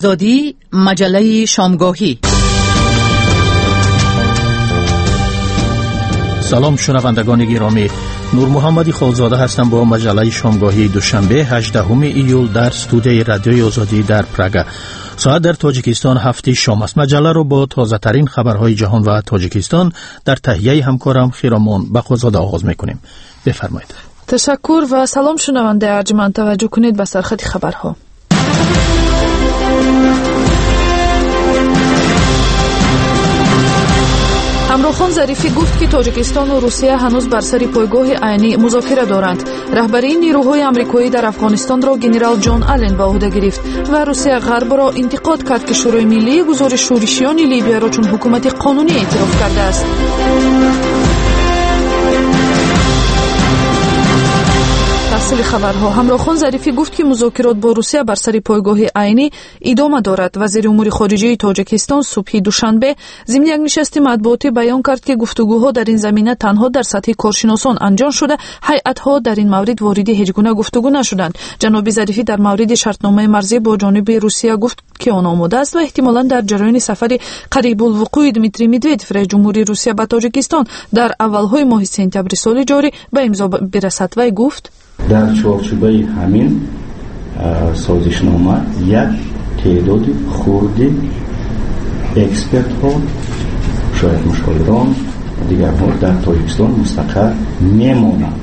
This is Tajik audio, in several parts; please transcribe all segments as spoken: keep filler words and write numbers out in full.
آزادی، مجله شامگاهی. سلام شنوندگان گرامی، نور محمد خالزاده هستم با مجله شامگاهی دوشنبه هجدهم ایول در استودیوی رادیوی آزادی در پراگ. ساعت در تاجیکستان هفت شام است. مجله را با تازه ترین خبرهای جهان و تاجیکستان در تهیه همکارم خیرامان بقازاده آغاز میکنیم. بفرمایید. تشکر و سلام شنونده ارجمند. توجه کنید به سرخط خبرها. ҳамроҳхон Зарифӣ гуфт, ки Тоҷикистону Русия ҳанӯз бар сари пойгоҳи айнӣ музокира доранд. Раҳбарии нерӯҳои амрикоӣ дар Афғонистонро генерал Ҷон Аллен ба уҳда гирифт ва Русия Ғарбро интиқод кард, ки Шӯрои миллии гузори шӯришиёни Либияро чун ҳукумати қонунӣ эътироф кардааст. Тафсили хабарҳо. Ҳамроҳхон Зарифӣ гуфт, ки музокирот бо Русия бар сари пойгоҳи айнӣ идома дорад. Вазири умури хориҷаи Тоҷикистон субҳи душанбе зимни як нишасти матбуотӣ баён кард, ки гуфтугӯҳо дар ин замина танҳо дар сатҳи коршиносон анҷом шуда, ҳайатҳо дар ин маврид вориди ҳеҷ гуна гуфтугӯ нашуданд. Ҷаноби Зарифӣ дар мавриди шартномаи марзӣ бо ҷониби Русия гуфт, ки он омода аст ва эҳтимолан дар ҷараёни сафари қарибулвуқӯи Дмитрий Медведев, раис ҷумҳурии Русия, ба Тоҷикистон дар аввалҳои моҳи сентябри соли ҷорӣ ба имзо бирасад. Вай гуфт: Дар чорчӯбаи ҳамин созишнома як теъдоди хурди экспертҳо, шояд мушовирон, дигарҳо дар Тоҷикистон мустақар мемонанд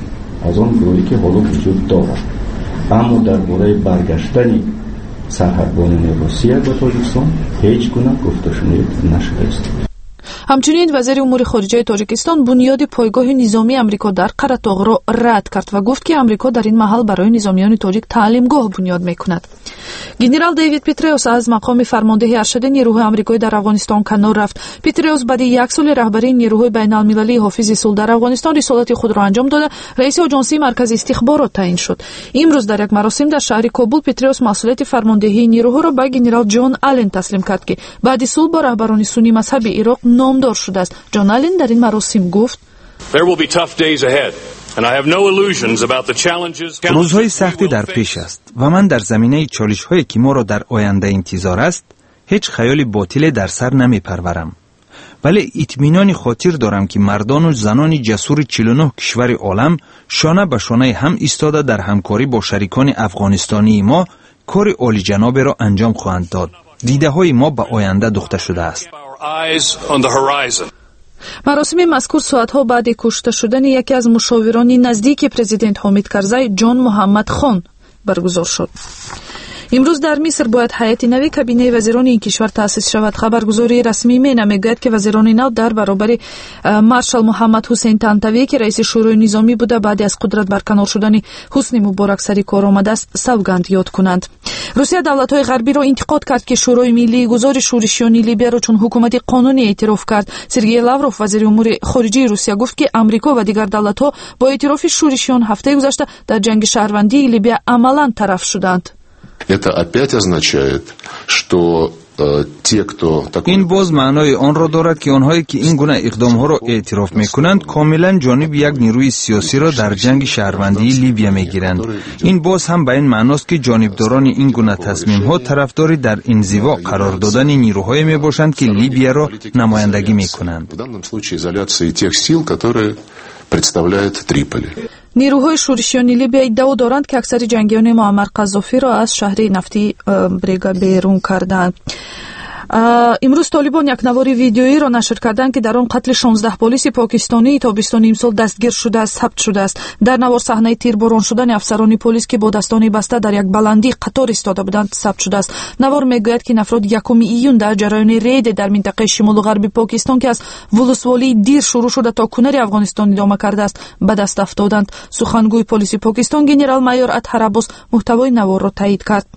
аз он гурӯҳе, ки ҳоло вуҷуд дорад. Аммо дар бораи баргаштани сарҳадбонони Русия ба Тоҷикистон ҳеҷ гуна гуфтушунид нашудааст. Ҳамчунин вазири умури хориҷаи Тоҷикистон бунёди пойгоҳи низомии Амрико дар Қаратоғро рад кард ва гуфт, ки Амрико дар ин маҳал барои низомиёни тоҷик таълимгоҳ бунёд мекунад. Генерал Дэвид Петреус аз мақоми фармондеҳи аршади нерӯҳои амрикоӣ дар Афғонистон канор рафт. Петреус баъди як соли раҳбарии нерӯҳои байналмилалии ҳофизи сулҳ дар Афғонистон рисолати худро анҷом дода, раиси оҷонсии маркази истихборот таъин шуд. Имрӯз дар як маросим дар шаҳри Кобул Петреус масъулияти фармондеҳии нерӯҳоро ба генерал Ҷон Аллен таслим кард, ки баъди сулҳ бо раҳбарони суннӣ мазҳаби Ироқ номдор шудааст. Ҷон Аллен дар ин маросим гуфт: Рӯзҳои сахтӣ дар пеш аст ва ман дар заминаи чолишҳое, ки моро дар оянда интизор аст, ҳеҷ хаёли ботиле дар сар намепарварам, вале итминони хотир дорам, ки мардону занони ҷасури чилу нӯҳ кишвари олам шона ба шонаи ҳам истода, дар ҳамкорӣ бо шарикони афғонистонии мо кори олиҷаноберо анҷом хоҳанд дод. Дидаҳои мо ба оянда духта шудааст. Маросими мазкур соатҳо баъди кушта шудани яке аз мушовирони наздики президент Ҳомид Карзай, Ҷон Муҳаммад Хон, баргузор шуд. Имрӯз дар Миср бояд ҳайати нави кабинаи вазирони ин кишвар таъсис шавад. Хабаргузории расмии МЕНА мегӯяд, ки вазирони нав дар баробари маршал Муҳаммад Ҳусейн Тантавӣ, ки раиси шӯрои низомӣ буда, баъди аз қудрат барканор шудани Ҳусни Муборак сари кор омадааст, савганд ёд кунанд. Русия давлатҳои ғарбиро интиқод кард, ки Шӯрои миллии гузори шӯришиёни Либияро чун ҳукумати қонунӣ эътироф кард. Сергей Лавров, вазири умури хориҷии Русия, гуфт, ки Амрико ва дигар давлатҳо бо эътирофи шӯришиён ҳафтаи гузашта дар ҷанги шаҳрвандии Либия амалан тараф шуданд. Это опять означает, что э, те, кто такой... Ин боз маънои онро дорад, ки онҳое, ки ин гуна иқдомҳоро эътироф мекунанд, комилан ҷониби як нерӯи сиёсиро дар ҷанги шаҳрвандии Либия мегиранд. Ин боз ҳам ба ин маъност, ки ҷонибдорони ин гуна тасмимҳо тарафдори дар инзиво қарор додани нерӯҳое мебошанд, ки Либияро намояндагӣ мекунанд. В данном случае изоляции тех сил, которые представляет Триполи. Нерӯҳои шӯришиёни Либия иддао доранд, ки аксари ҷангиёни Муаммар Қаззофиро аз шаҳри нафтии э, Брега берун карданд. Имрӯз Толибон як навори видеоиро нашр карданд, ки дар он қатли шонздаҳ полиси покистонии тобистони имсол дастгир шудааст сабт шудааст. Дар навор саҳнаи тирборон шудани афсарони полис, ки бо дастони баста дар як баландӣ қатор истода буданд, сабт шудааст. Навор мегӯяд, ки ин афрод якуми июн дар ҷараёни рейде дар минтақаи шимолу ғарби Покистон, ки аз вулусволии Дир шурӯъ шуда, то Кунари Афғонистон идома кардааст, ба даст афтоданд. Сухангӯи полиси Покистон генерал майор Атҳар Аббос муҳтавои наворро таъид кард.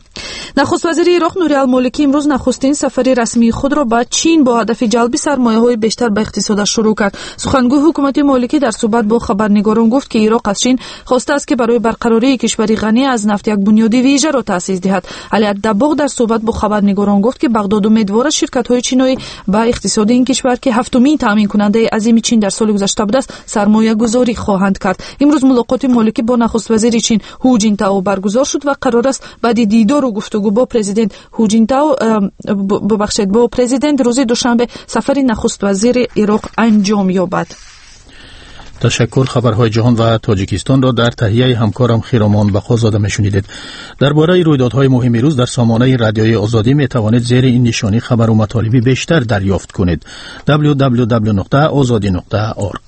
Нахуст вазири Ироқ Нури Алмоликӣ имрӯз нахустин сафари расмии худро ба Чин бо ҳадафи ҷалби сармояҳои бештар ба иқтисодаш шурӯъ кард. Сухангӯи ҳукумати Моликӣ дар суҳбат бо хабарнигорон гуфт, ки Ироқ аз Чин хостааст, ки барои барқарории кишвари ғанӣ аз нафт як бунёди вижаро таъсис диҳад. Али Аддабоғ дар суҳбат бо хабарнигорон гуфт, ки Бағдод умедвор аст, ширкатҳои чиноӣ ба иқтисоди ин кишвар, ки ҳафтумин таъминкунандаи азими Чин дар соли гузашта будааст, сармоягузорӣ хоҳанд кард. Имрӯз мулоқоти Моликӣ бо нахуствазири Чин Ҳу Ҷинтао баргузор шуд ва қарор аст баъди дидори Дидору гуфтугӯ бо президент Ҳу Ҷинтао, бубахшед, бо президент рӯзи душанбе сафари нахуствазири Ироқ анҷом ёбад. Ташаккур. Хабарҳои ҷаҳон ва Тоҷикистонро дар таҳияи ҳамкорам Хиромон Бақозода мешунидед. Дар бораи рӯйдодҳои муҳими рӯз дар сомонаи Радиои Озодӣ метавонед зери ин нишонӣ хабару матолиби бештар дарёфт кунед: W W W нуқта озодӣ нуқта org.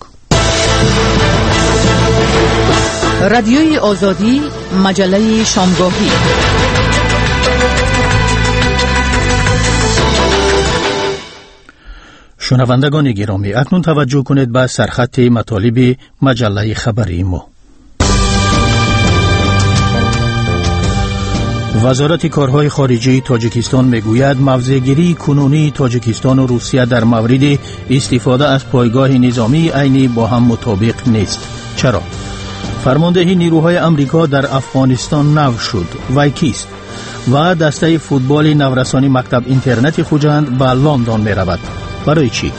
Радиои Озодӣ, маҷаллаи шомгоҳӣ. Шунавандагони гиромӣ, акнун таваҷҷӯҳ кунед ба сархати матолиби маҷаллаи хабарии мо. Вазорати корҳои хориҷии Тоҷикистон мегӯяд, мавзеъгирии кунунии Тоҷикистону Русия дар мавриди истифода аз пойгоҳи низомии Айнӣ бо ҳам мутобиқ нест. Чаро? Фармондеҳи нирӯҳои Амрико дар Афғонистон нав шуд. Вай кист? Ва дастаи футболи наврасони мактаб интернати Хуҷанд ба Лондон меравад. Барои чӣ?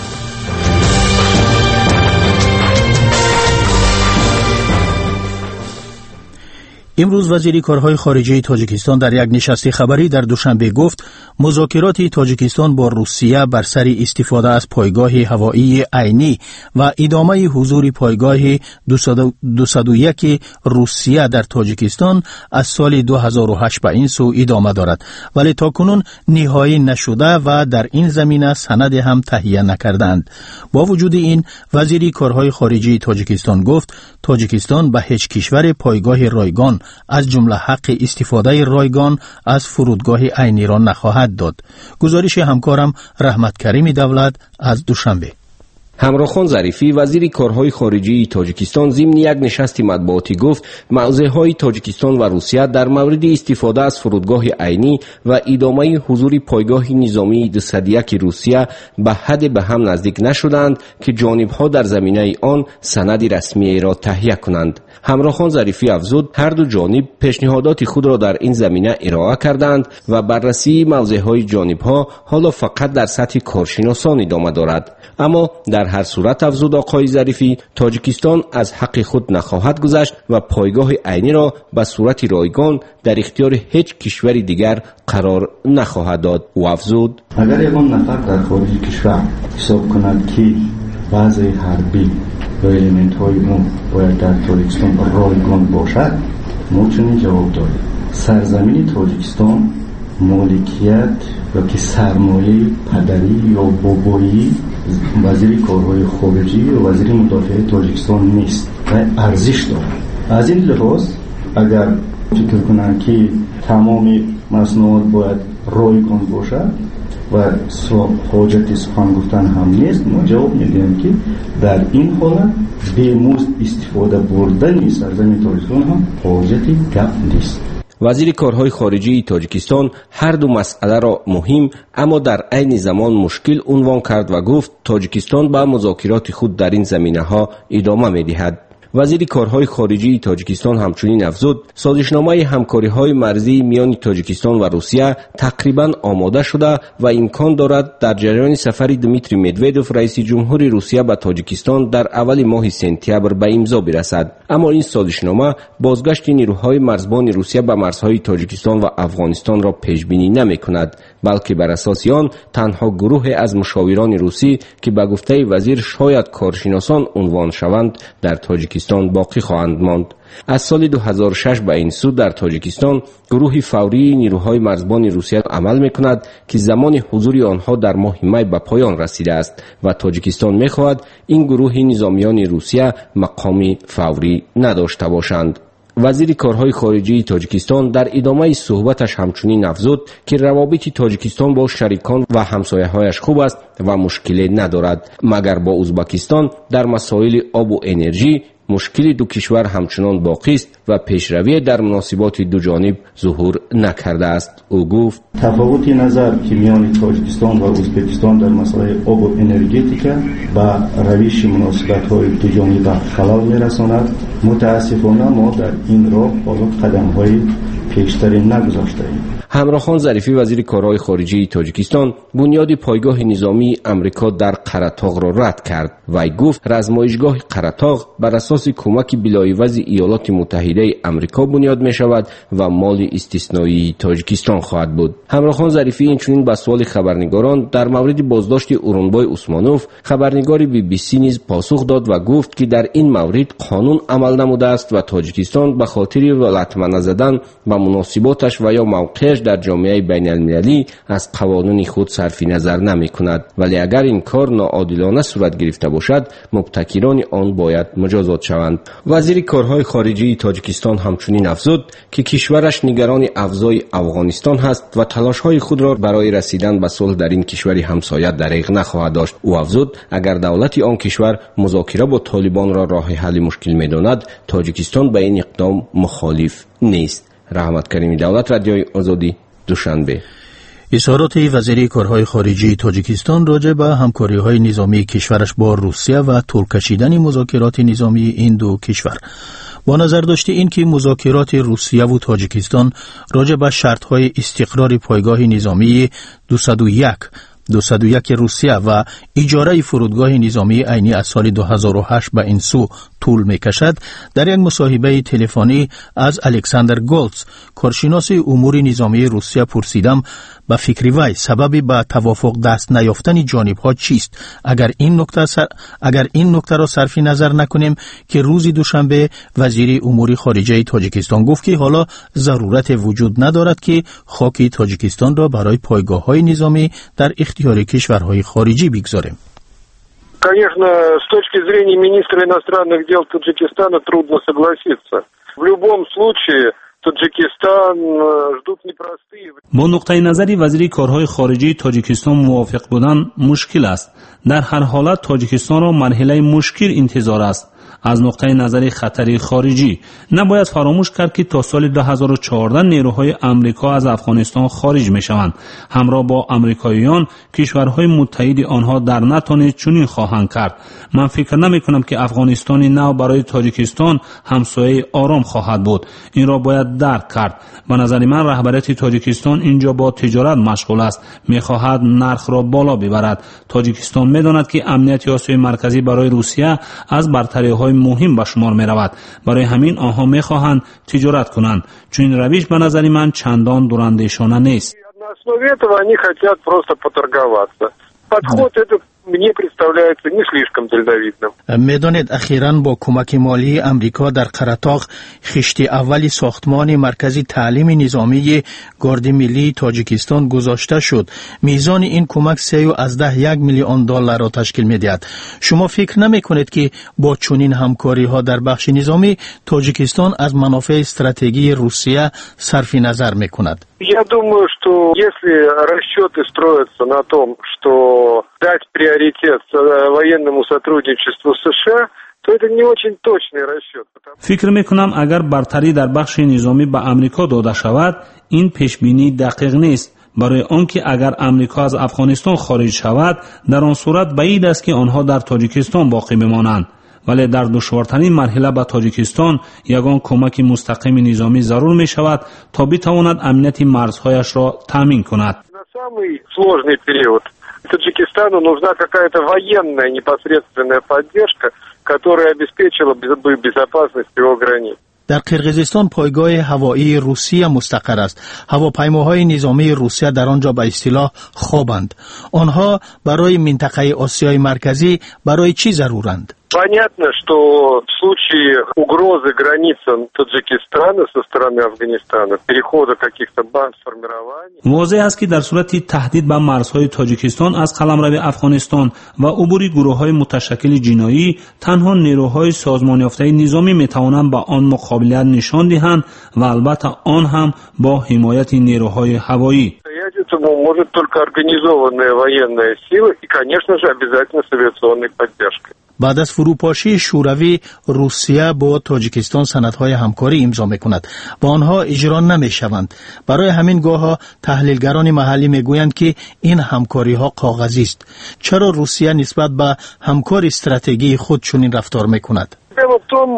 Имрӯз вазири корҳои хориҷии Тоҷикистон дар як нишасти хабарӣ дар Душанбе гуфт, музокироти Тоҷикистон бо Русия бар сари истифода аз пойгоҳи ҳавоии Айнӣ ва идомаи ҳузури пойгоҳи дусаду яки Русия дар Тоҷикистон аз соли ду ҳазору ҳашт ба ин сӯ идома дорад, вале то кунун ниҳоӣ нашуда ва дар ин замина санаде ҳам таҳия накардаанд. Бо вуҷуди ин, вазири корҳои хориҷии Тоҷикистон гуфт, Тоҷикистон ба ҳеҷ кишваре пойгоҳи ройгон, аз ҷумла ҳаққи истифодаи ройгон аз фурудгоҳи Айниро нахоҳад дод. Гузориши ҳамкорам Раҳматкарими Давлат аз Душанбе. Ҳамрохон Зарифӣ, вазири корҳои хориҷии Тоҷикистон, зимни як нишасти матбуотӣ гуфт, мавзеъҳои Тоҷикистон ва Русия дар мавриди истифода аз фурудгоҳи Айнӣ ва идомаи ҳузури пойгоҳи низомии дусаду яки Русия ба ҳадде ба ҳам наздик нашуданд, ки ҷонибҳо дар заминаи он санади расмиеро таҳия кунанд. Ҳамрохон Зарифӣ афзуд, ҳарду ҷониб пешниҳодоти худро дар ин замина ироа карданд ва баррасии мавзеъҳои ҷонибҳо ҳоло фақат дар сатҳи коршиносон идома дорад. Аммо дар ҳар сурат, афзуд оқои Зарифӣ, Тоҷикистон аз ҳаққи худ нахоҳад гузашт ва пойгоҳи Айниро ба сурати ройгон дар ихтиёри ҳеҷ кишвари дигар қарор нахоҳад дод. Ӯ афзуд: Агар ягон нафар дар хориҷи кишвар ҳисоб кунад, ки баъзеи ҳарбӣ ё элементҳои он бояд дар Тоҷикистон ройгон бошад, мо чунин ҷавоб дорем: сарзамини Тоҷикистон моликият ёки сармояи падарӣ ё бобоии вазири корҳои хориҷӣ ё вазири мудофиаи Тоҷикистон нест ва арзиш дорад. Аз ин лиҳоз, агар фикр кунанд, ки тамоми маснуот бояд ройгон бошад ва ҳоҷати сухан гуфтан ҳам нест, мо ҷавоб медиҳем, ки дар ин ҳолат бемузд истифода бурдани сарзамини Тоҷикистон ҳам ҳоҷати гап нест. Вазири корҳои хориҷии Тоҷикистон ҳарду масъаларо муҳим, аммо дар айни замон мушкил унвон кард ва гуфт, Тоҷикистон ба музокироти худ дар ин заминаҳо идома медиҳад. Вазири корҳои хориҷии Тоҷикистон ҳамчунин афзуд, созишномаи ҳамкориҳои марзии миёни Тоҷикистон ва Русия тақрибан омода шуда ва имкон дорад дар ҷараёни сафари Дмитрий Медведев, раиси ҷумҳури Русия, ба Тоҷикистон дар аввали моҳи сентябр ба имзо бирасад. Аммо ин созишнома бозгашти нирӯҳои марзбони Русия ба марзҳои Тоҷикистон ва Афғонистонро пешбинӣ намекунад, балки бар асоси он танҳо гурӯҳе аз мушовирони русӣ, ки ба гуфтаи вазир шояд коршиносон унвон шаванд, дар Тоҷикистон боқӣ хоҳанд монд. Аз соли ду ҳазору шаш ба ин сӯ дар Тоҷикистон гурӯҳи фаврии нирӯҳои марзбони Русия амал мекунад, ки замони ҳузури онҳо дар моҳи май ба поён расидааст ва Тоҷикистон мехоҳад ин гурӯҳи низомиёни Русия мақоми фаврӣ надошта бошанд. Вазири корҳои хориҷии Тоҷикистон дар идомаи суҳбаташ ҳамчунин афзуд, ки равобити Тоҷикистон бо шарикон ва ҳамсояҳояш хуб аст ва мушкиле надорад, магар бо Узбакистон дар масоили обу энержӣ мушкили ду кишвар ҳамчунон боқист ва пешравие дар муносиботи дуҷониб зуҳур накардааст. Ӯ гуфт: Тафовути назар, ки миёни Тоҷикистон ва Ӯзбекистон дар масъалаи обу энергетика ба равиши муносибатҳои дуҷониба халал мерасонад. Мутаассифона, мо дар ин роҳ ҳоло қадамҳои пештаре нагузоштаем. Ҳамрохон Зарифӣ, вазири корҳои хориҷии Тоҷикистон, бунёди пойгоҳи низомии Амрико дар Қаратоғро рад кард. Вай гуфт, размоишгоҳи Қаратоғ бар асоси кӯмаки билоивази Иёлоти Муттаҳидаи Амрико бунёд мешавад ва моли истисноии Тоҷикистон хоҳад буд. Ҳамрохон Зарифӣ инчунин ба суоли хабарнигорон дар мавриди боздошти Урунбой Усмонов, хабарнигори би би си низ посух дод ва гуфт, ки дар ин маврид қонун амал намудааст ва Тоҷикистон ба хотири латма назадан ба муносиботаш ва ё мавқеаш дар ҷомеаи байналмилалӣ аз қавонуни худ сарфи назар намекунад. Вале агар ин кор ноодилона сурат гирифта бошад, мубтакирони он бояд муҷозот шаванд. Вазири корҳои хориҷии Тоҷикистон ҳамчунин афзуд, ки кишвараш нигарони авзои Афғонистон ҳаст ва талошҳои худро барои расидан ба сулҳ дар ин кишвари ҳамсоя дариғ нахоҳад дошт. Ӯ афзуд, агар давлати он кишвар музокира бо толибонро роҳи ҳалли мушкил медонад, Тоҷикистон ба ин иқдом мухолиф нест. Раҳмат Карими Давлат, Радиои Озодӣ, Душанбе. Изҳороти вазири корҳои хориҷии Тоҷикистон роҷеъ ба ҳамкориҳои низомии кишвараш бо Русия ва тӯл кашидани музокироти низомии ин ду кишвар. Бо назардошти ин ки музокироти Русияву Тоҷикистон роҷеъ ба шартҳои истиқрори пойгоҳи низомии дусаду як дусаду як Русия ва иҷораи фурудгоҳи низомии айнӣ аз соли ду ҳазору ҳашт ба ин сӯ тӯл мекашад, дар як мусоҳибаи телефонӣ аз Александр Голц, коршиноси умури низомии Русия, пурсидам ба фикри вай сабаби ба тавофуқ даст наёфтани ҷонибҳо чист, агар ин нукта сар... агар ин нуктаро сарфи назар накунем, ки рӯзи душанбе вазири умури хориҷаи Тоҷикистон гуфт, ки ҳоло зарурате вуҷуд надорад, ки хоки Тоҷикистонро барои пойгоҳҳои низомӣ дар ихтиёри кишварҳои хориҷӣ бигзорем. Конечно, с точки зрения министра иностранных дел Таджикистана трудно согласиться. В любом случае Таджикистан ждут непростые. Бо нуқтаи назари вазири корҳои хориҷии Тоҷикистон мувофиқ будан мушкил аст. Дар ҳар ҳолат Тоҷикистонро марҳилаи мушкил интизор аст. Аз нуқтаи назари хатари хориҷӣ набояд фаромӯш кард, ки то соли ду ҳазору чордаҳ нерӯҳои Амрико аз Афғонистон хориҷ мешаванд. Ҳамроҳ бо амрикоиён кишварҳои муттаҳиди онҳо дар НАТО низ чунин хоҳанд кард. Ман фикр намекунам, ки Афғонистони нав барои Тоҷикистон ҳамсояи ором хоҳад буд. Инро бояд дарк кард. Ба назари ман раҳбарияти Тоҷикистон инҷо бо тиҷорат машғул аст, мехоҳад нархро боло бибарад. Тоҷикистон медонад, ки амнияти Осиёи Марказӣ барои Русия аз бартариҳои муҳим ба шумор меравад. Барои ҳамин онҳо мехоҳанд тиҷорат кунанд. Чунин равиш ба назари ман чандон дурандешона нест. На основе этого они хотят просто поторговаться. Подход этот мне представляется не слишком дальновидным. Медонед, ахиран бо кӯмаки молии Амрико дар Қаратоғ хишти аввали сохтмони маркази таълими низомии Гарди миллии Тоҷикистон гузошта шуд. Мизони ин кӯмак сею аз даҳ як миллион долларро ташкил медиҳад. Шумо фикр намекунед, ки бо чунин ҳамкориҳо дар бахши низомӣ Тоҷикистон аз манофеи стратегии Русия сарфи назар мекунад? Я думаю, что если расчеты строятся на том, что дать приоритет военному сотрудничеству США, то это не очень точный расчет. Фикр мекунам, агар бартарӣ дар бахши низомӣ ба Амрико дода шавад, ин пешбинӣ дақиқ нест. Барои он ки агар Амрико аз Афғонистон хориҷ шавад, дар он сурат баъид аст, ки онҳо дар Тоҷикистон боқӣ бимонанд. Вале дар душвортарин марҳила ба Тоҷикистон ягон кӯмаки мустақими низомӣ зарур мешавад, то битавонад амнияти марзҳояшро таъмин кунад. На самый сложный период Таджикистану нужна какая-то военная непосредственная поддержка, которая обеспечила бы безопасность его границ. Дар Қирғизистон пойгоҳи ҳавоии Русия мустақар аст. Ҳавопаймоҳои низомии Русия дар он ҷо ба истилоҳ хобанд. Онҳо барои минтақаи Осиёи Марказӣ барои чӣ заруранд? Понятно, что в случае угрозы границам Таджикистана со стороны Афганистана, перехода каких-то бандформирований... Возеҳ аст, ки дар сурати таҳдид ба марзҳои Тоҷикистон аз қаламрави Афғонистон ва убури гурӯҳҳои муташаккили ҷиноӣ, танҳо нерӯҳои созмонёфтаи низомӣ метавонанд ба он муқобилият нишон диҳанд ва албатта он ҳам бо ҳимояти нерӯҳои ҳавоӣ. Этому может только организованная военная сила и, конечно же, обязательно с авиационной поддержкой. Баъд аз фурӯпошии Шӯравӣ Русия бо Тоҷикистон санадҳои ҳамкорӣ имзо мекунад ва онҳо иҷро намешаванд. Барои ҳамин гоҳо таҳлилгарони маҳаллӣ мегӯянд, ки ин ҳамкориҳо коғазист. Чаро Русия нисбат ба ҳамкори стратегии худ чунин рафтор мекунад? Дело в том,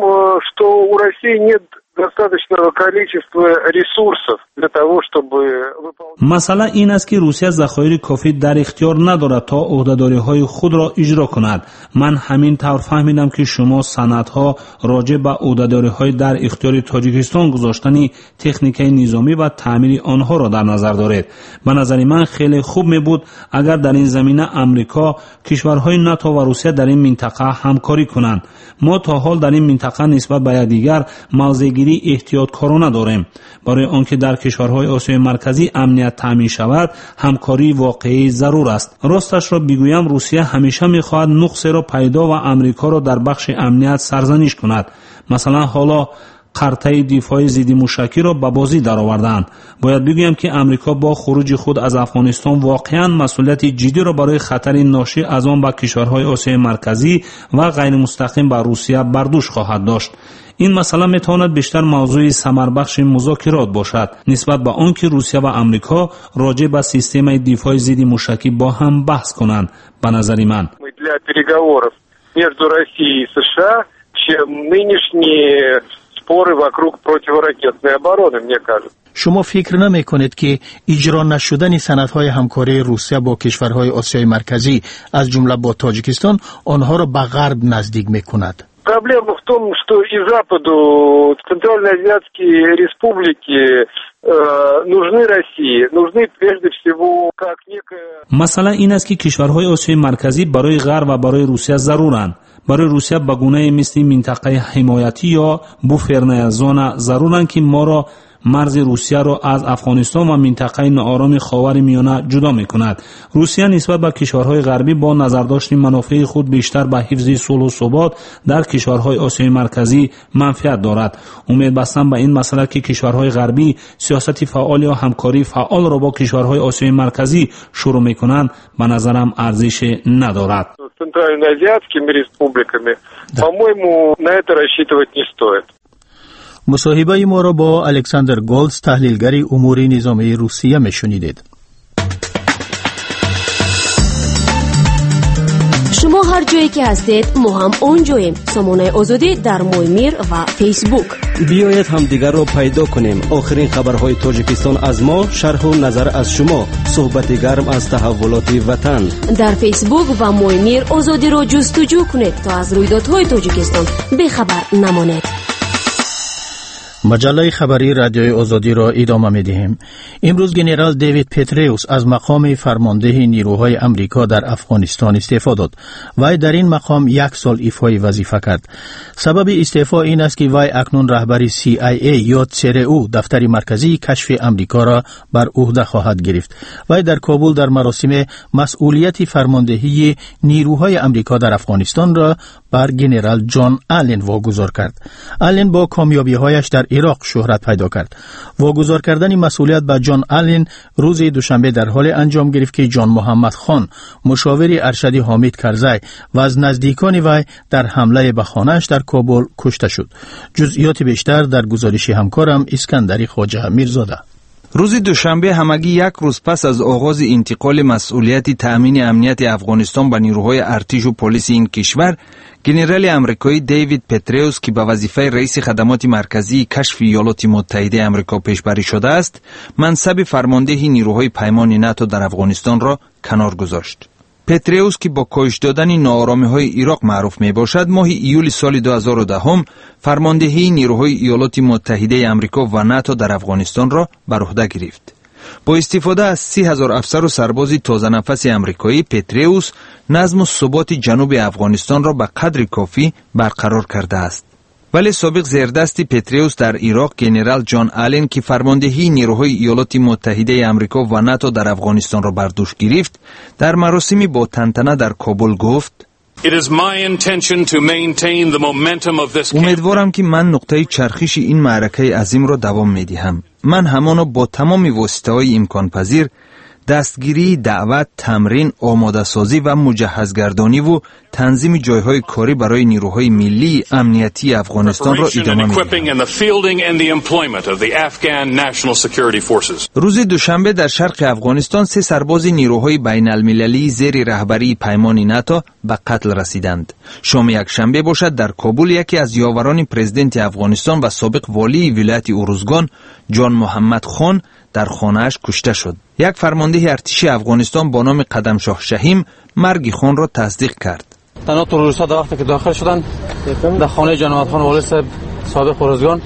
что у России нет достаточного количества ресурсов для того, чтобы выполнять. Масъала ин аст, ки Русия захоири кофӣ дар ихтиёр надорад, то ӯҳдадориҳои худро иҷро кунад. Ман ҳамин тавр фаҳмидам, ки шумо санадҳо роҷеъ ба ӯҳдадориҳои дар ихтиёри Тоҷикистон гузоштани техникаи низомӣ ва таъмири онҳоро дар назар доред. Ба назари ман, хеле хуб мебуд, агар дар ин замина Амрико, кишварҳои НАТО ва Русия дар ин минтақа ҳамкорӣ кунанд. Мо то ҳол дар ин минтақа нисбат ба якдигар мавзеъгирии эҳтиёткорона дорем. Барои он ки дар кишварҳои Осиёи Марказӣ амният таъмин шавад, ҳамкории воқеӣ зарур аст. Росташро бигӯям, Русия ҳамеша мехоҳад нуқсеро пайдо ва Амрикоро дар бахши амният сарзаниш кунад. Масалан, ҳоло қартаи дифои зиддимушакиро ба бозӣ даровардаанд. Бояд бигӯям, ки Амрико бо хуруҷи худ аз Афғонистон воқеан масъулияти ҷиддиро барои хатари ношӣ аз он ба кишварҳои Осиёи Марказӣ ва ғайримустақим ба Русия бар дӯш хоҳад дошт. Ин масъала метавонад бештар мавзӯи самарбахши музокирот бошад, нисбат ба он ки Русия ва Амрико роҷеъ ба системаи дифои зидди мушакӣ бо ҳам баҳс кунанд, ба назари ман. Для переговоров между Россией и США, чем нынешние споры вокруг противоракетной обороны, мне кажется. Шумо фикр намекунед, ки иҷро нашудани санадҳои ҳамкории Русия бо кишварҳои Осиёи Марказӣ, аз ҷумла бо Тоҷикистон, онҳоро ба Ғарб наздик мекунад? Проблема в том, что и Западу центральноазиатские республики э, нужны России, нужны прежде всего как некая. Масъала ин аст, ки кишварҳои Осиёи Марказӣ барои Ғарб ва барои Русия заруранд. Барои Русия ба гунае мисли минтақаи ҳимоятӣ ё буферная зона заруранд, ки моро марзи Русияро аз Афғонистон ва минтақаи ноороми Ховари Миёна ҷудо мекунад. Русия нисбат ба кишварҳои ғарбӣ бо назардошти манофеи худ бештар ба ҳифзи сулҳу субот дар кишварҳои Осиёи Марказӣ манфиат дорад. Умед бастан ба ин масъала, ки кишварҳои ғарбӣ сиёсати фаъол ё ҳамкории фаъолро бо кишварҳои Осиёи Марказӣ шурӯъ мекунанд, ба назарам арзише надорад. Центральноазиатскими республиками, по-моему, на это рассчитывать не стоит. Мусоҳибаи моро бо Александр Голдс, таҳлилгари умури низомии Русия, мешунидед. Шумо ҳар ҷое ки ҳастед, мо ҳам он ҷоем. Сомонаи Озодӣ дар Моймир ва Фейсбук. Биёед, ҳамдигарро пайдо кунем. Охирин хабарҳои Тоҷикистон аз мо, шарҳу назар аз шумо, суҳбати гарм аз таҳаввулоти ватан. Дар Фейсбук ва Моймир Озодиро ҷустуҷӯ кунед, то аз рӯйдодҳои Тоҷикистон бехабар намонед. Маҷаллаи хабарии Радиои Озодиро идома медиҳем. Имрӯз генерал Дэвид Петреус аз мақоми фармондеҳи нирӯҳои Амрико дар Афғонистон истеъфо дод. Вай дар ин мақом як сол ифои вазифа кард. Сабаби истеъфо ин аст, ки вай акнун раҳбари C I A ё Ц Р У, дафтари марказии кашфи Амрикоро бар ӯҳда хоҳад гирифт. Вай дар Кобул дар маросиме масъулияти фармондеҳии нирӯҳои Амрико дар Афғонистонро бар генерал Ҷон Аллен вогузор кард. Аллен бо комёбиҳояш дар Ироқ шӯҳрат пайдо кард. Вогузор кардани масъулият ба Ҷон Аллен рӯзи душанбе дар ҳоле анҷом гирифт, ки Ҷон Муҳаммад Хон, мушовири аршади Ҳомид Карзай ва аз наздикони вай, дар ҳамлае ба хонааш дар Кобул кушта шуд. Ҷузъиёти бештар дар гузориши ҳамкорам Искандари Хоҷа Мирзода. Рӯзи душанбе, ҳамагӣ як рӯз пас аз оғози интиқоли масъулияти таъмини амнияти Афғонистон ба нирӯҳои артишу полиси ин кишвар, генерали амрикоӣ Дэвид Петреус, ки ба вазифаи раиси хадамоти марказии кашфи Иёлоти Муттаҳидаи Амрико пешбарӣ шудааст, мансаби фармондеҳи нирӯҳои паймони НАТО дар Афғонистонро канор гузошт. Петреус, ки бо коҳиш додани нооромиҳои Ироқ маъруф мебошад, моҳи июли соли ду ҳазору даҳум фармондеҳии нирӯҳои Иёлоти Муттаҳидаи Амрико ва НАТО дар Афғонистонро бар уҳда гирифт. Бо истифода аз си ҳазор афсару сарбози тозанафаси амрикоӣ, Петреус назму суботи ҷануби Афғонистонро ба қадри кофӣ барқарор кардааст. Вале собиқ зердасти Петреус дар Ироқ, генерал Ҷон Аллен, ки фармондеҳии нирӯҳои Иёлоти Муттаҳидаи Амрико ва НАТО дар Афғонистонро бар дӯш гирифт, дар маросими бо тантана дар Кобул гуфт: «Умедворам, ки ман нуқтаи чархиши ин маъракаи азимро давом медиҳам. Ман ҳамоно бо тамоми воситаҳои имконпазир Дастгирии даъват, тамрин, омодасозӣ ва муҷаҳҳазгардониву танзими ҷойҳои корӣ барои нирӯҳои миллии амниятии Афғонистонро идома медиҳад. Рӯзи душанбе дар шарқи Афғонистон се сарбози нирӯҳои байналмилалии зери раҳбарии паймони НАТО ба қатл расиданд. Шоми якшанбе бошад, дар Кобул яке аз ёварони президенти Афғонистон ва собиқ волии вилояти Урузгон Ҷон Муҳаммад Хон дар хонааш кушта шуд. Як фармондеҳи артиши Афғонистон бо номи Қадамшоҳ Шаҳим марги хонро тасдиқ кард. Танҳо террористҳо дар вақте ки дохил шуданд дар хонаи Ҷон Муҳаммад Хон волии соҳиб собиқ Урузгон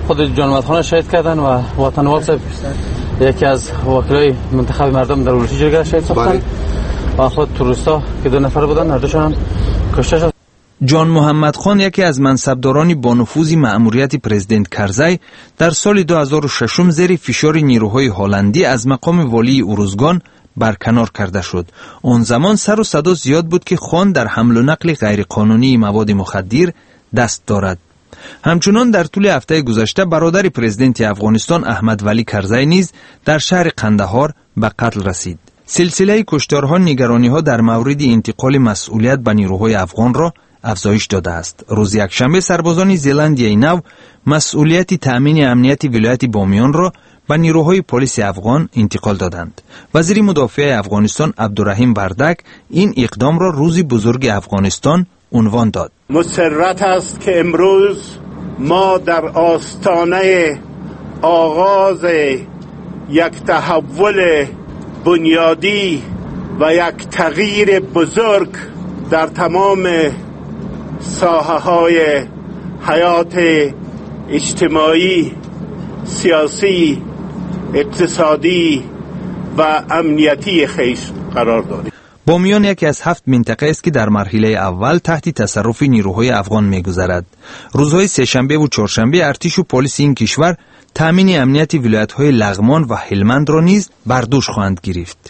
худ Ҷон Муҳаммад Хонро шаҳид карданд ва ватанвал соҳиб яке аз вакилои мунтахаби мардум дар вулусии ҷирга шаҳид сохтанд ва худ террористҳо ки ду нафар буданд ҳар кушта шуд. Ҷон Муҳаммад Хон яке аз мансабдорони бонуфузи маъмурияти президент Карзай дар соли ду ҳазору шашум зери фишори нирӯҳои ҳолландӣ аз мақоми волии Урузгон барканор карда шуд. Он замон сару садо зиёд буд, ки хон дар ҳамлу нақли ғайриқонунии маводи мухаддир даст дорад. Ҳамчунон дар тӯли ҳафтаи гузашта бародари президенти Афғонистон Аҳмад Валӣ Карзай низ дар шаҳри Қандаҳор ба қатл расид. Силсилаи кушторҳо нигарониҳо дар мавриди интиқоли масъулият ба нирӯҳои афғонро афзоиш додааст. Рӯзи якшанбе сарбозони Зеландияи Нав масъулияти таъмини амнияти вилояти Бомиёнро ба нирӯҳои полиси афғон интиқол доданд. Вазири мудофиаи Афғонистон Абдураҳим Вардак ин иқдомро рӯзи бузурги Афғонистон унвон дод. Мусаррат аст, ки имрӯз мо дар остонаи оғози як таҳаввули бунёдӣ ва як тағйири бузург дар тамоми соҳаҳои ҳаёти иҷтимоӣ, сиёсӣ, иқтисодӣ ва амниятии хеш қарор дорем. Бомиён яке аз ҳафт минтақаест, ки дар марҳилаи аввал таҳти тасарруфи нирӯҳои афғон мегузарад. Рӯзҳои сешанбеву чоршанбе артишу полиси ин кишвар таъмини амнияти вилоятҳои Лағмон ва Ҳилмандро низ бар дӯш хоҳанд гирифт.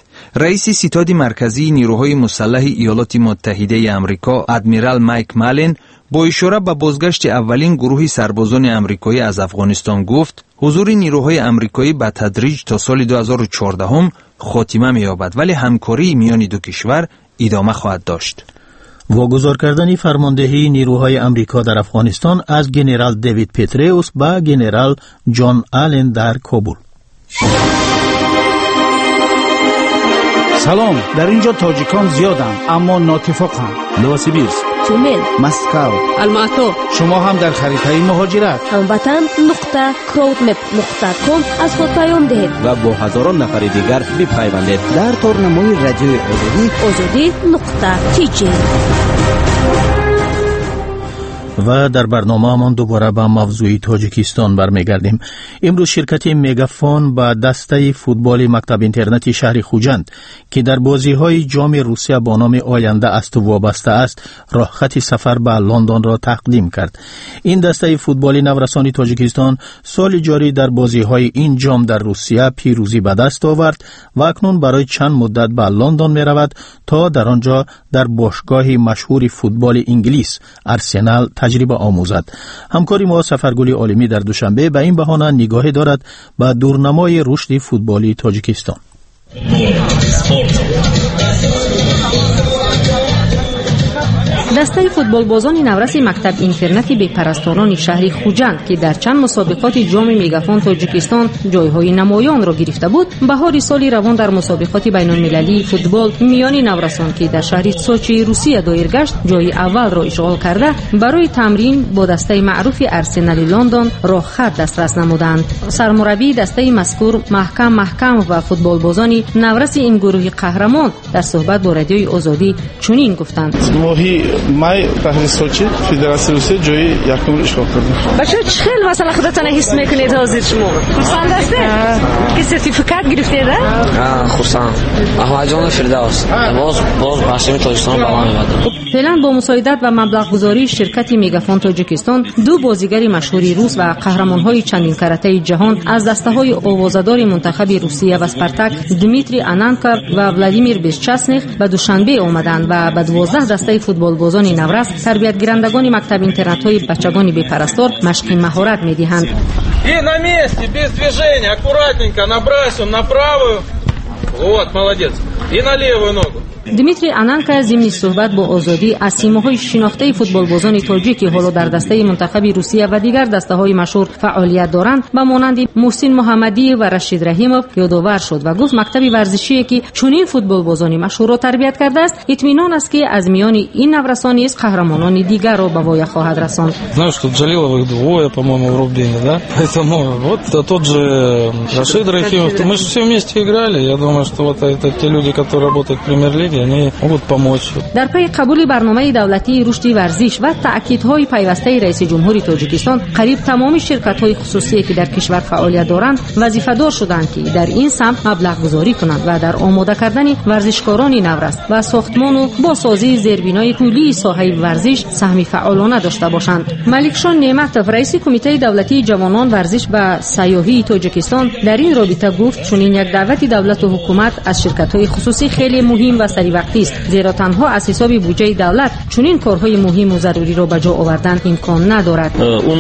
Раиси ситоди марказии нирӯҳои мусаллаҳи Иёлоти Муттаҳидаи Амрико адмирал Майк Маллен бо ишора ба бозгашти аввалин гурӯҳи сарбозони амрикоӣ аз Афғонистон гуфт, ҳузури нирӯҳои амрикоӣ ба тадриҷ то соли ду ҳазору чордаҳум хотима меёбад, вале ҳамкории миёни ду кишвар идома хоҳад дошт. Вогузор кардани фармондеҳии нирӯҳои Амрико дар Афғонистон аз генерал Дэвид Петреус ба генерал Ҷон Аллен дар Кобул. Салом, дар ин ҷо тоҷикон зиёданд, аммо нотифоқанд. Новосибирск, Тюмен, Москва, Алмато. Шумо ҳам дар харитаи муҳоҷират. Ҳамватан нуқта crowdmap нуқта ком аз худ паём диҳед ва бо ҳазорон нафари дигар бипайвандед дар торнамои радиои Озодӣ озодӣ нуқта тиҷи. Ва дар барномаамон дубора ба мавзӯи Тоҷикистон бармегардем. Имрӯз ширкати Мегафон ба дастаи футболи мактаб-интернати шаҳри Хуҷанд, ки дар бозиҳои ҷоми Русия бо номи Оянда аз ту вобаста аст, роҳхати сафар ба Лондонро тақдим кард. Ин дастаи футболи наврасони Тоҷикистон соли ҷорӣ дар бозиҳои ин ҷом дар Русия пирӯзӣ ба даст овард ва акнун барои чанд муддат ба Лондон меравад, то дар он ҷо дар бошгоҳи машҳури футболи Инглис Арсенал таҷриба омӯзад. Ҳамкори мо Сафаргули Олимӣ дар Душанбе ба ин баҳона нигоҳе дорад ба дурнамои рушди футболи Тоҷикистон. Дастаи футболбозони навраси мактаб-интернати бепарасторони шаҳри Хуҷанд, ки дар чанд мусобиқоти ҷоми Мегафон Тоҷикистон ҷойҳои намоёнро гирифта буд, баҳори соли равон дар мусобиқоти байналмилалии футбол миёни наврасон, ки дар шаҳри Сочии Русия доир гашт, ҷои аввалро ишғол карда, барои тамрин бо дастаи маъруфи Арсенали Лондон роҳхат дастрас намуданд. Сармураббии дастаи мазкур Маҳкам Маҳкам ва футболбозони навраси ин гурӯҳи қаҳрамон дар суҳбат бо радиои Озодӣ чунин гуфтанд: моҳи май шаҳри Сочи Федератсияи Русия ҷои якумро ишғол кардем. Бачаҳо, чӣ хел масалан худатонро ҳис мекунед ҳозир шумо? Хурсанд ҳастед? Ки сертификат гирифтед, а? Хурсанд. Аҳмадҷон Фирдавс. Боз боз парчами Тоҷикистонро баланд мебарад. Феълан бо мусоидат ва маблағгузории ширкати Мегафон Тоҷикистон ду бозигари машҳури рус ва қаҳрамонҳои чандинкаратаи ҷаҳон аз дастаҳои овозадори мунтахаби Русия ва Спартак Дмитрий Ананков ва Владимир Бесчастных ба Душанбе омаданд ва ба дувоздаҳ дастаи футболбозони наврас, тарбиятгирандагони мактаб-интернатҳои бачагони бепарастор машқи маҳорат медиҳанд. И на месте, без движения, аккуратненько набрасываем на правую. Вот, молодец. И на левую ногу. Дмитрий Ананка зимни суҳбат бо Озодӣ аз симоҳои шинохтаи футболбозони тоҷик, ки ҳоло дар дастаи мунтахаби Русия ва дигар дастаҳои машҳур фаъолият доранд, ба монанди Муҳсин Муҳаммадиев ва Рашид Раҳимов ёдовар шуд ва гуфт мактаби варзишие, ки чунин футболбозони машҳурро тарбият кардааст, итминон аст, ки аз миёни ин наврасон низ қаҳрамонони дигарро ба воя хоҳад расонд. Знаю, что Джалиловых двое, по-моему, в Рубине, да? Поэтому вот тот же Рашид Рахимов, мы же все вместе играли, я думаю, что вот это те люди, которые работают в премьер-лиге, они могут помочь. Дар пайи қабули барномаи давлатии рушди варзиш ва таъкидҳои пайвастаи раиси ҷумҳури Тоҷикистон, қариб тамоми ширкатҳои хусусие, ки дар кишвар фаъолият доранд, вазифадор шуданд, ки дар ин самт маблағгузорӣ кунанд ва дар омода кардани варзишкорони наврас ва сохтмону босозии зербинои куллии соҳаи варзиш саҳми фаъолона дошта бошанд. Маликшон Неъматов, раиси кумитаи давлатии ҷавонон, варзиш ва сайёҳии Тоҷикистон, дар ин робита гуфт чунин як даъвати давлату ҳукумат аз ширкатҳои хусусӣ хеле муҳим ва саривақтист, зеро танҳо аз ҳисоби буҷаи давлат чунин корҳои муҳиму заруриро ба ҷо овардан имкон надорад. Он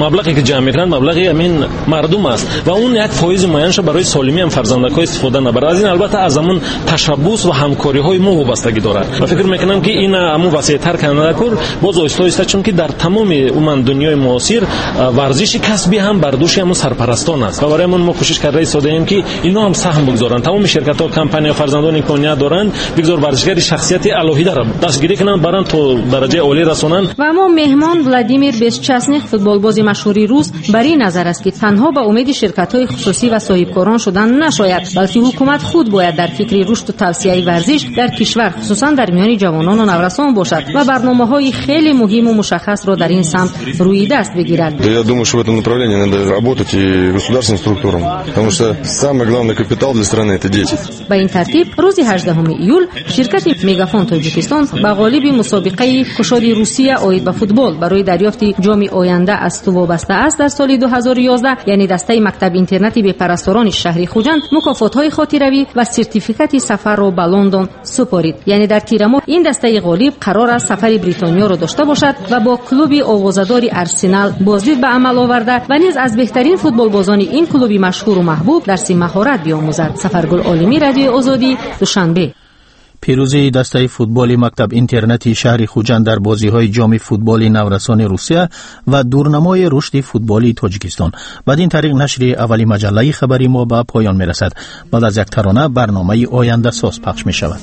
маблағе ки ҷамъ мекунанд, маблағи ҳамин мардум аст ва он як фоизи муайянашро барои солимии ҳам фарзандакҳо истифода набарад. Аз ин албатта аз ҳамон ташаббус ва ҳамкориҳои мо вобастагӣ дорад ва фикр мекунам, ки ин ҳамон васеътар кардана кор боз оҳиста оҳиста, чунки дар тамоми умуман дунёи муосир варзиши касбӣ ҳам бар дӯши ҳамон сарпарастон аст ва барои ҳамон мо кӯшиш карда истодаем, ки инҳо ҳам саҳм бигзоранд. Тамоми ширкатҳо, компания, фарзандон имконият доранд, бигзор варзишгари шахсияти алоҳидаро дастгирӣ кунанд, баранд то дараҷаи олӣ расонанд. Ва мо меҳмон Владимир Бесчастных, футболбози машҳури рус, бар ин назар аст, ки танҳо ба умеди ширкатҳои хусусӣ ва соҳибкорон шудан нашояд, балки ҳукумат худ бояд дар фикри рушду тавсияи варзиш дар кишвар, хусусан дар миёни ҷавонону наврасон бошад ва барномаҳои хеле муҳиму мушаххасро дар ин самт рӯи даст бигирад. Я думаю, что в этом направлении надо работать и государственным структурам, потому что самый главный капитал для страны это дети. Ба ин тартиб рӯзи ҳаждаҳуми июл ширкати Мегафон Тоҷикистон ба ғолиби мусобиқаи кушоди Русия оид ба футбол барои дарёфти ҷоми оянда аз ту вобаста аст дар соли ду ҳазору ёздаҳ, яъне дастаи мактаби интернати бепарасторони шаҳри Хуҷанд, мукофотҳои хотиравӣ ва сертификати сафарро ба Лондон супорид. Яъне дар тирамо ин дастаи ғолиб қарор аст сафари Бритониёро дошта бошад ва бо клуби овозадори Арсенал боздид ба амал оварда ва низ аз беҳтарин футболбозони ин клуби машҳуру маҳбуб дарси маҳорат биомӯзад. Сафаргул Олимӣ, Радиои Озодӣ, Душанбе. Пирӯзии дастаи футболи мактаб интернати шаҳри Хуҷанд дар бозиҳои ҷоми футболи наврасони Русия ва дурнамои рушди футболи Тоҷикистон. Бад ин тариқ нашри аввали маҷаллаи хабари мо ба поён мерасад. Баъд аз як тарона барномаи ояндасоз пахш мешавад.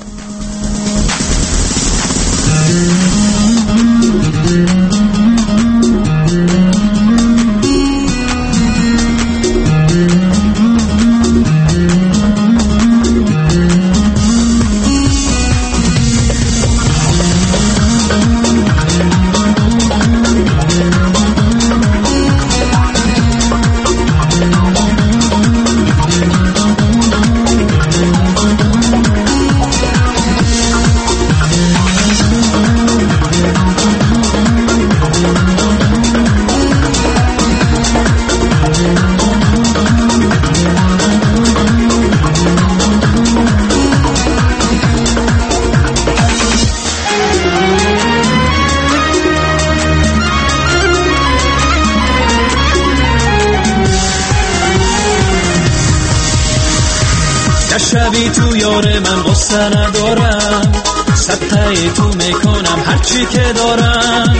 شبی تو یار من غصه ندارم، صدقه تو میکنم هرچی که دارم،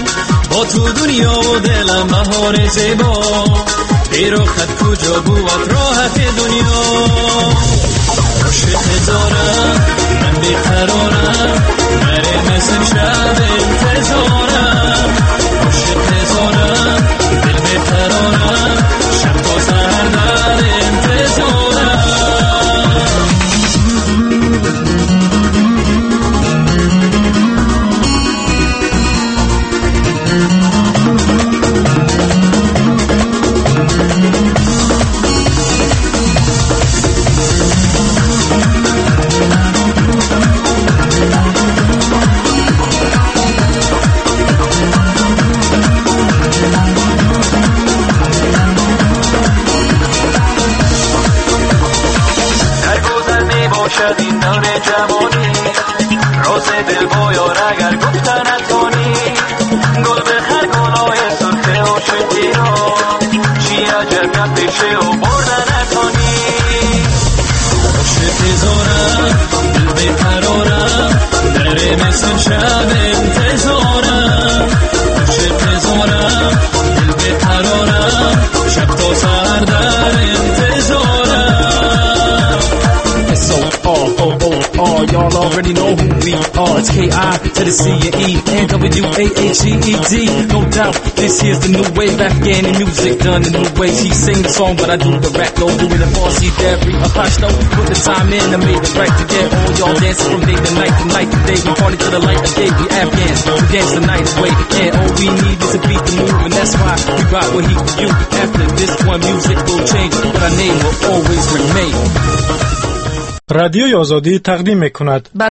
با تو دنیا و دلم بهار زیبا، بی رخت کجا بود راحت دنیا. عاشق دارم من بیقرارم، نره مثل شب انتظارم، عاشق دارم دل بیقرارم، شب تا سحر در انتظارم. پیشه و بردن نتانی. عاشق زارم. Y'all already know who we are. It's K I to the C and E N W A H E E D. No doubt, this here's the new wave. Afghan and music done in new ways. He sing the song, but I do the rap. No, doing the Farsi, Dari, a Pashto. Put the time in, I made it right to get all y'all dancing from day to night to night to day. We party to the light of day. We Afghans, we dance the night away. And all we need is a beat to move, and that's why we rock with heat for you. After this one, music will change, but our name will always remain. Радиои Озодӣ тақдим мекунад.